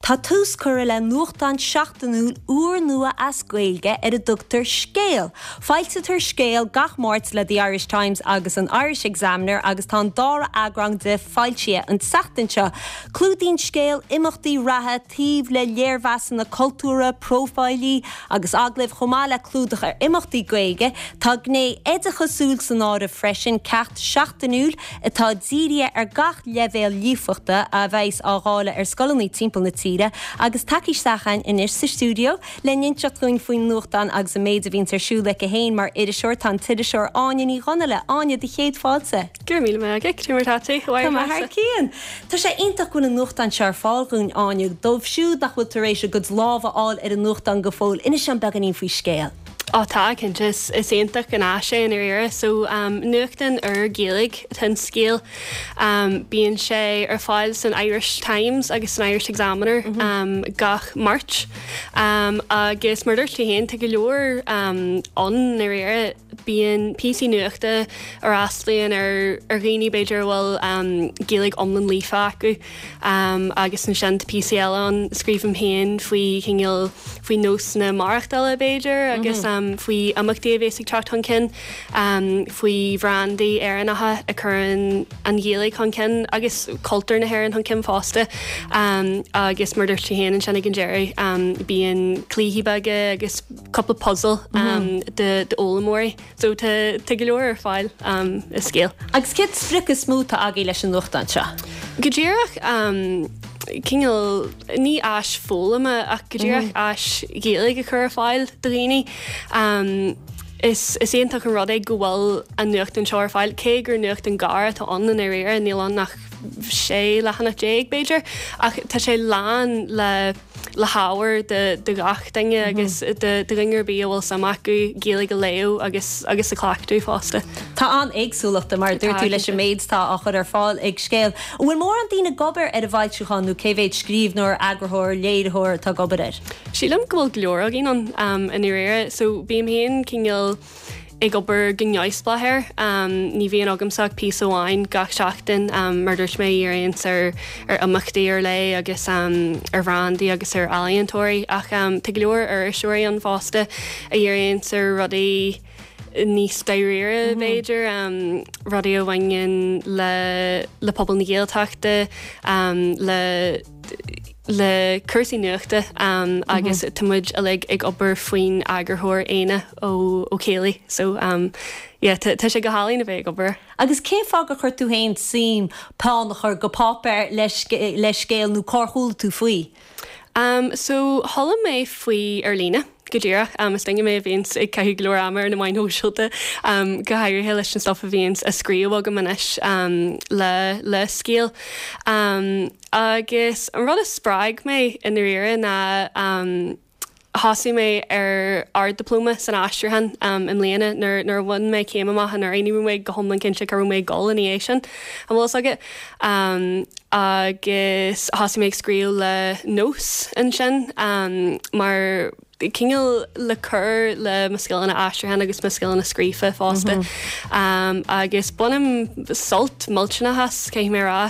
Tá tús curtha le nuachtán seachtainiúil úrnua as Gaeilge ar a dtugtar Scéal. Foilsítear Scéal gach Máirt le The Irish Times agus an Irish Examiner agus tá an dara eagrán de foilsithe an tseachtain seo. Clúdaíonn Scéal imeachtaí reatha taobh le léirmheasanna cultúrtha, próifílí agus agallaimh chomh maith le clúdach ar imeachtaí Gaeilge. Tá gné oideachasúil san áireamh freisin, ceacht seachtainiúil atá dírithe ar gach leibhéal líofachta a bheas á dháileadh ar scoileanna timpeall na tíre agus tagtha isteach againn anois sa stiúideo le n-inseacht dhúinn faoin nuachtán agus an méid a bhíonns ar siúl aici féin mar iriseoir tá an t-iriseoir Áine Ní Dhonnaile. Áine, do chéad fáilte. Go raibh míle maith agat, cad é mar atá tú? Tá mé thar cionn. Tá sé iontach go bhfuil an nuachtán seo ar fáil dhúinn, Áine. Dóibh siúd nach bhfuil tar éis a gcuid lámh a fháil ar an nuachtán go fóill, inis dom beagáinín faoi Scéal. Ó tá, cinnte. Is iontach an áis é i ndáiríre. So, nuachtán úr Gaeilge atá in Scéal. Bíonn sé ar fáil san Irish Times agus san Irish Examiner gach Máirt. Agus mar a dúirt tú féin, tá go leor ann i ndáiríre. Bíonn píosaí nuachta a fhreastalaíonn ar dhaoine b'fhéidir a bhfuil Gaeilge iomlán líofa acu agus ansin tá píosaí eile ann a scríobhaim féin faoi chineál, faoi nósanna maireachtála b'fhéidir agus faoi imeachtaí a bhéas ag teacht chun cinn, faoi bhrandaí Éireannacha a chuireann an Ghaeilge chun cinn agus cultúr na hÉireann chun cinn fosta agus mar a dúirt tú féin ansin ag an deireadh bíonn cluichí beaga agus cúpla puzzle d'fhoghlaimeoirí. So tá tá go leor ar fáil i Scéal. Agus cén sprioc is mó atá agaibh leis an nuachtán seo? Go díreach cineál, ní áis foghlama ach go díreach áis Ghaeilge a chur ar fáil do dhaoine. Is is iontach an rud é go bhfuil an nuachtán seo ar fáil, cé gur nuachtán gearr atá ann i ndáiríre, níl ann ach 16 leathanach b'fhéidir, ach tá sé lán le le hábhar do ghach duine agus do dhuine ar bith a bhfuil suim acu Gaeilge a léamh agus agus a chleachtadh fosta. Tá an-éagsúlacht, mar a dúirt tú, leis an méid atá á chur ar fáil ag Scéal. An bhfuil mórán daoine ag obair ar an bhfoilseachán nó cé mhéad scríbhneoir, eagarthóir, léiritheoir atá ag obair air? Sílim go bhfuil go leor againn ann i ndáiríre. So bím féin cineál ag obair go neamhspleách air. Ní bhíonn agamsa ach píosa amháin gach seachtain, mar a dúirt mé, a dhíríonns ar ar imeachtaí ar leith agus ar bhrandaí agus ar ealaíontóirí. Ach tá go leor iriseoirí ann fosta a dhíríonns ar rudaí níos dáiríre, b'fhéidir, rudaí a bhaineann le le pobal na Gaeltachta, le. le cúrsaí nuachta agus tá muid uilig ag obair faoin eagarthóir Éanna Ó Céiligh so yeah tá tá sé go hálainn a bheith ag obair. Agus cén fáth gur chuir tú féin suim peann a chur go páipéar le le Scéal nó cár chuala tú faoi? So chuala mé faoi ar líne. Go díreach. Is duine mé a bhíonns ag caitheamh go leor ama ar na meáin shóisialta, go háirithe leis an stuff a bhíonns á scríobh agam anois le le Scéal. Agus an rud a spreag mé i ndáiríre ná thosaigh mé ar Ard-Dioplóma san Aistriúchán i mbliana nuair nuair a bhain mé céim amach anuraidh. Ní raibh mé go hiomlán cinnte cá raibh mé ag dul ina dhiaidh sin, an bhfuil fhios agat. Agus thosaigh mé ag scríobh le Nós ansin mar cineál le cur le mo scileanna aistriúcháin agus mo scileanna scríofa fosta. Agus bainim sult millteanach as, caithfidh mé a rá.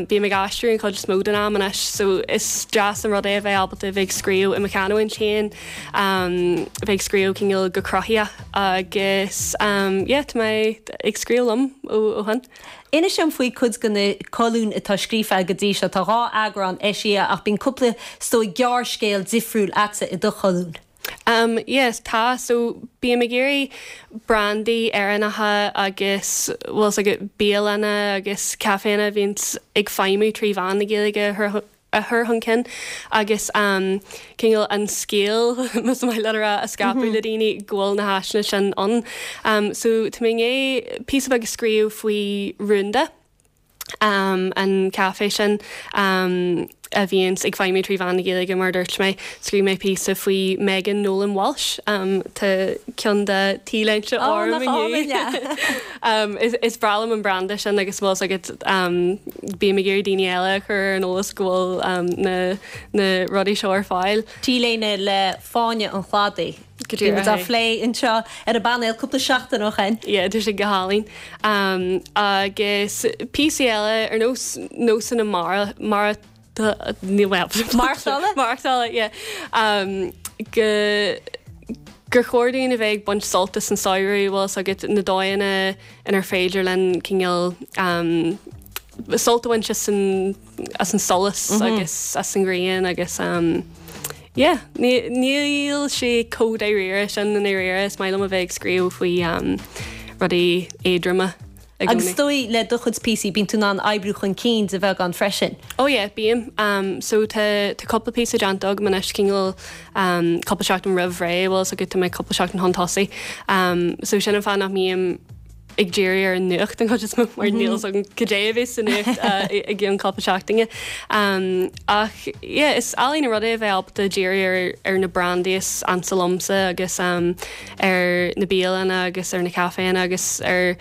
Bím ag aistriú an chuid is mó den am anois so is deas an rud é a bheith ábalta a bheith ag scríobh i mo chanúint féin, a bheith ag scríobh cineál go cruthaitheach agus yeah tá mé ag scríobh liom ó shin. Inis dom faoi cuid de na colúin atá scríofa agat go dtí seo. Tá 2 eagrán eisithe ach bíonn cúpla, is dóigh, gearrscéal difriúil a'dsa i do cholún. Umm yes, tá. So bím ag iarraidh brandaí Éireannacha agus, bhfuil 's agat, bialanna agus caiféanna a bhíonns ag feidhmiú trí mheán na Gaeilge a chur a chur chun cinn agus cineál an scéal, más maith leat a rá, a scaipeadh le daoine go bhfuil na háiseanna sin ann. So tá mé i ndiaidh píosa beag a scríobh faoi Rúnda, an caifé sin a bhíonns ag feidhmiú trí mheán na Gaeilge mar a dúirt mé. Scríobh mé píosa faoi Megan Nolan Walsh, tá ceann dá t-léinte orm inniu. Is breá liom an branda sin agus bhfuil 's agat bím ag iarraidh daoine eile a chur ar an eolas go bhfuil na na rudaí seo ar fáil. T-léine le Fáinne an Chladaigh. Go díreach. Bhí muid á phlé anseo ar an bpainéal cúpla seachtain ó shin. Yeah, tá sé go hálainn. Agus píosaí eile ar nós nósanna mara. Níl mé ábalta. Maireachtála? Maireachtála, yeah. Go gur chóir dúinn a bheith ag baint sult as an samhradh, bhfuil fhios agat, na dóigheanna inar féidir linn cineál sult a bhaint as an as an solas agus as an ghrian agus yeah, níl sé chomh dáiríre sin i ndáiríre, is maith liom a bheith ag scríobh faoi rudaí éadroma. i gcónaí. Agus is dóigh le do chuid píosaí, bíonn tú in ann oibriú chun cinn de bheagán freisin. Oh yeah, bím. So tá tá cúpla píosa déanta agam anois, cineál cúpla seachtain roimh ré, bhfuil fhios agat, tá mé cúpla seachtain chun tosaigh. So sin an fáth nach mbím ag díriú ar an nuacht an chuid is mó mar níl fhios agam cad é a bheas sa nuacht i gceann cúpla seachtaine. Ach yeah, is álainn an rud é a bheith ábalta díriú ar ar na brandaí is ansa liomsa agus ar na bialanna agus ar na caiféanna agus ar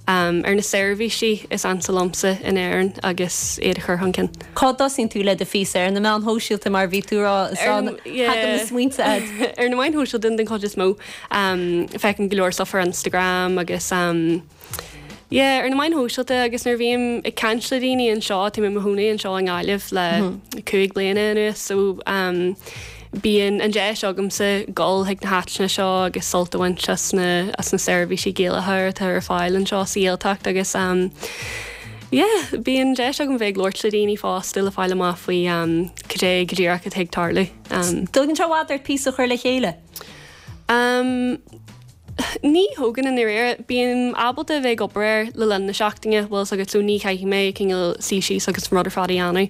ar na seirbhísí is ansa liomsa in Éirinn agus iad a chur chun cinn. Cá dtosaíonn tú le do phíosa? Ar na meáin shóisialta mar a bhí tú a rá is ann a thagann na smaointe agat? Ar na meáin shóisialta den chuid is mó. Feicim go leor stuff ar Instagram agus Yeah, ar na meáin shóisialta agus nuair a bhím ag caint le daoine anseo, tá mé i mo chónaí anseo i nGaillimh le 5 bliana anuas so bíonn an deis agamsa dul chuig na háiteanna seo agus sult a bhaint as na as na seirbhísí Gaelacha atá ar fáil anseo sa Ghaeltacht agus yeah, bíonn deis agam bheith ag labhairt le daoine fosta le fáil amach faoi cad é go díreach atá ag tarlú. Dtógann sé i bhfad ort píosa a chur le chéile? Ní thógann i ndáiríre. Bím ábalta a bheith ag obair air le linn na seachtaine, bhfuil fhios agat, so ní chaithfidh mé cineál suí síos agus an rud ar fad a dhéanamh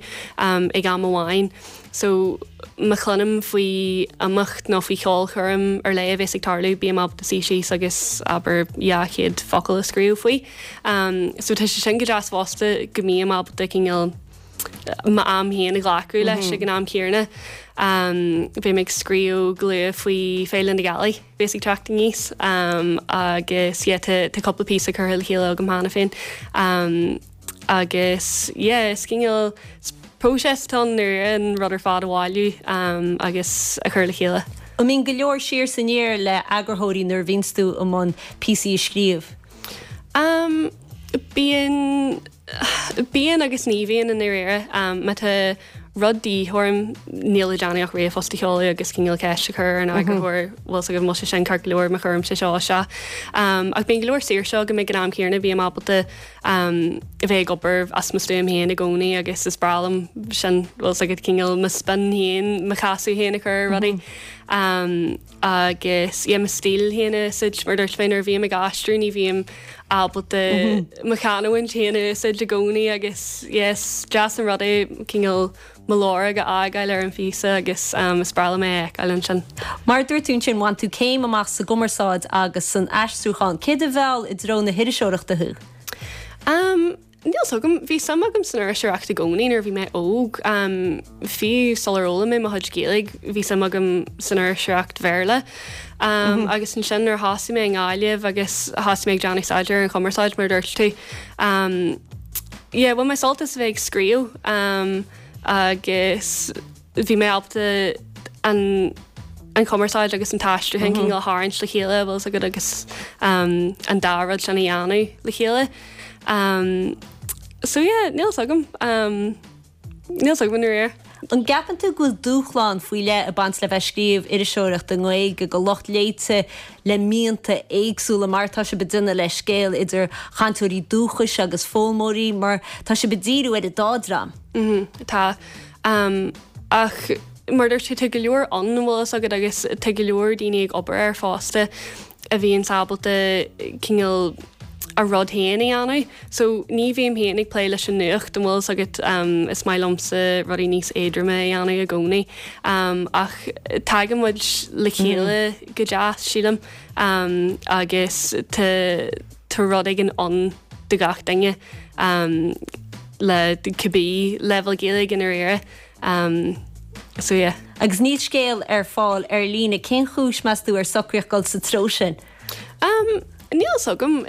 ag am amháin. So má chluinim faoi imeacht nó faoi cheolchoirm ar leith a bheas ag tarlú, bím ábalta suí síos agus abair 200 focal a scríobh faoi. So tá sé sin go deas fosta go mbím ábalta cineál m'am féin a ghlacadh leis ag an am céanna. Beidh mé ag scríobh go luath faoi Féile na Gealaí. bheas ag teacht aníos agus yeah tá tá cúpla píosa curtha le chéile agam cheana féin agus yeah is cineál is próiseas atá ann nuair an rud ar fad a bhailiú agus a chur le chéile. An mbíonn go leor siar is aniar le eagarthóirí nuair a bhíonns tú i mbun píosaí a scríobh? Bíonn. Bíonn agus ní bhíonn i ndáiríre. Má tá rud de dhíth orm, níl le déanamh ach ríomhphost a sheoladh agus cineál ceist a chur ar an eagarthóir, bhfuil fhios agat an bhfuil sé sin ceart go leor má chuirimse seo isteach. Ach bíonn go leor saoirse agam ag an am céanna, bím ábalta a bheith ag obair as mo stuaim féin i gcónaí agus is breá liom sin, bhfuil fhios agat, cineál mo spin féin, mo chasadh féin a chur ar rudaí. Agus yeah mo stíl féin a úsáid, mar dúirt mé nuair a bhím ag aistriú ní bhím ábalta mo chanúint féin a úsáid i gcónaí agus yeah is deas an rud é cineál mo lorg a fhágáil ar an phíosa agus is breá liom é a fheiceáil ansin. Mar a dúirt tú ansin, bhain tú céim amach sa gcumarsáid agus san aistriúchán. Céard a mheall i dtreo na hiriseoireachta thú? Níl fhios agam. Bhí suim agam san iriseoireacht i gcónaí nuair a bhí mé óg. Fiú sular fhoghlaim mé mo chuid Gaeilge, bhí suim agam san iriseoireacht Bhéarla. Agus ansin nuair a thosaigh mé i nGaillimh agus thosaigh mé ag déanamh staidéar ar an chumarsáid, mar a dúirt tú, yeah, bhain mé sult as a bheith ag scríobh agus bhí mé ábalta an an chumarsáid agus an t-aistriúchán cineál a tharraingt le chéile, bhfuil fhios agat, agus an dá rud sin a dhéanamh le chéile. So yeah, níl fhios agam. Níl fhios agam i ndáiríre. An gceapann tú go bhfuil dúshlán faoi leith ag baint le bheith ag scríobh iriseoireacht i nGaeilge do lucht léite le mianta éagsúla mar atá sibh ag déanamh le Scéal idir chainteoirí dúchais agus foghlaimeoirí mar tá sibh ag díriú ar an dá dream? Tá. Ach mar a dúirt tú, tá go leor ann, an bhfuil fhios agat, agus tá go leor daoine ag obair air fosta a bhíonns ábalta cineál a rud féin a dhéanamh. So ní bhím féin ag plé leis an nuacht, an bhfuil fhios agat, is maith liomsa rudaí níos éadroime a dhéanamh i gcónaí. Ach tagann muid le chéile go deas, sílim, agus tá tá rud éigin ann do gach duine le cibé leibhéal Gaeilge i ndáiríre. So yeah. Agus níl Scéal ar fáil ar líne. Cén chúis, meas tú, ar socraíodh dul sa treo sin? Níl fhios agam.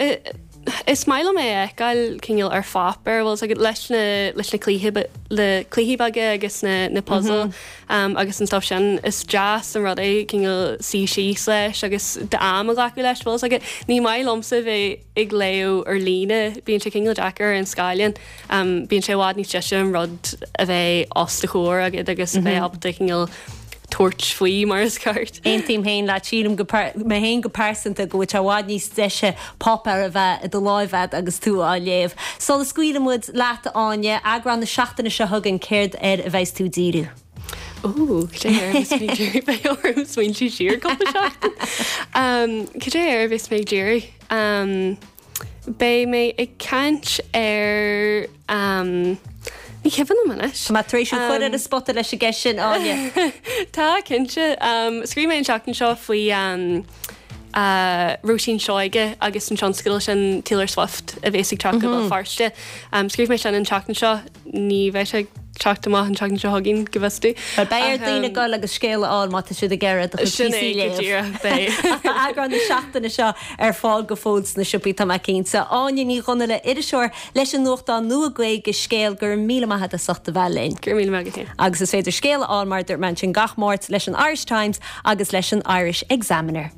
Is maith liom é a fheiceáil cineál ar pháipéar, bhfuil fhios agat, leis na, leis na cluichí, le cluichí beaga agus na, na puzail agus an stuff sin. Is deas an rud é cineál suí síos leis agus d'am a ghlacadh leis, bhfuil fhios agat. Ní maith liomsa bheith ag léamh ar líne, bíonn sé cineál deacair ar an scáileán. Bíonn sé i bhfad níos deise an rud a bheith os do chomhair agat agus a bheith ábalta cineál tabhairt faoi mar is ceart. Aontaím féin leat. Sílim go, mé féin go pearsanta, go bhfuil sé i bhfad níos deise páipéar a bheith i do láimh agat agus tú á léamh. Sula scaoileann muid leat, a Áine, eagrán na seachtaine seo chugainn, céard air a bheas tú ag díriú? Ó, cad é air a bheas mé ag díriú? Beidh orm smaointiú siar cúpla seachtain. Cad é air a bheas mé ag díriú? Beidh mé ag caint ar, ní cuimhin liom anois. Tá mé tar éis thú a chur ar an spota leis an gceist sin, Áine. Tá, cinnte. Scríobh mé an tseachtain seo faoi Róisín Seoige agus an tionscadal sin Taylor Swift a bhéas ag teacht go Béal Feirste. Scríobh mé sin an tseachtain seo. Ní bheidh sé ag teacht amach an tseachtain seo chugainn, go bhfios domh. Bhuel, beidh ar daoine dul agus Scéal a fháil má tá siad ag iarraidh do chuid Sin é, píosaí a go léamh. díreach, beidh. Ach tá eagrán na seachtaine seo ar fáil go fóill sna siopaí, tá mé cinnte. Áine Ní Dhonnaile, iriseoir leis an nuachtán nua Gaeilge, Scéal, go raibh míle maith agat as ucht a bheith linn. Go raibh míle maith agat féin. Agus is féidir Scéal a fháil, mar a dúirt mé ansin, gach Máirt leis an Irish Times agus leis an Irish Examiner.